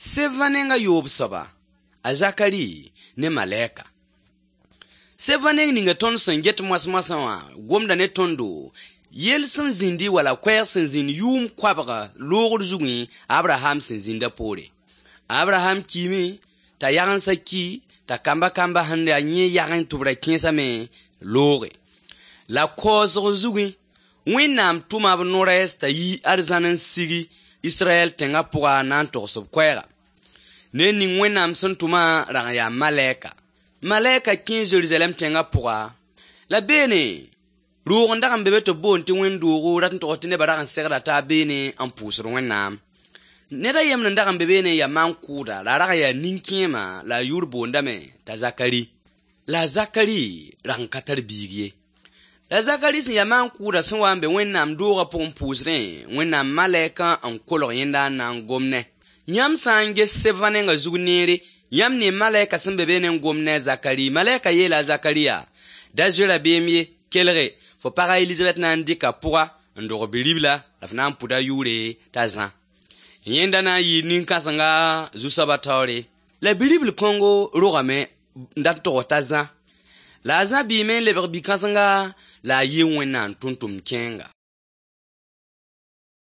Sevã neng a yoob soaba, a Zakari ne malɛka. Sevã neng ninga tõnd sẽn get moas-moasã wã gomda ne tõndo yell sẽn zĩndi wala koɛɛg sẽn zĩnd yʋʋm koabga loogr zugẽ Abraham sẽn zĩnda poore. Abraham kiime t'a yagensã ki t'a kamba-kamba sẽn yaa yẽ yagẽ tɩ b ra kẽesame looge. La kaoosg zugẽ Wẽnnaam tʋma b no-rɛɛs t'a yi arzãn n sigi Israɛl tẽngã pʋga na n togs b koɛɛga. Ned ning Wẽnnaam sẽn tʋmã rag n yaa malɛka. Malɛka kẽ Zerusalɛm tẽngã pʋga la beene roog n dag n be be tɩ b boond tɩ wẽnd-doogo rat n tog tɩ nebã rag n segda taab beene n pʋʋsd Wẽnnaam. Ned a yembr n dag n be beene n yaa maan-kʋʋda la a rag n yaa nin-kẽema la a yʋʋr boondame t'a Zakari. La a Zakari rag n ka tar biig ye. La Zakari sẽn yaa maan-kʋʋda sẽn wa n be Wẽnnaam doogã pʋgẽ pʋʋsdẽ, Wẽnnaam malɛkã n kolg yẽnda n na n gom ne. Yãmb sã n ges sevã nengã zug neere, yãmb ne malɛka sẽn be beene n gom ne a Zakari. Malɛka yeela a Zakari yaa: da zoe rabeem ye, kelge, fo pag a Elizabɛt na n dɩka pʋga n dog bi-ribla la f na n pʋda yʋʋre t'a Zã. Yẽnda na n yɩɩ nin-kãsenga zu-soabã taoore. La bi-ribl kõngo rogame n dat tog t'a Zã. La a Zã bɩɩme n lebg bi-kãsenga la a yɩ Wẽnnaam tʋmtʋmd kẽenga.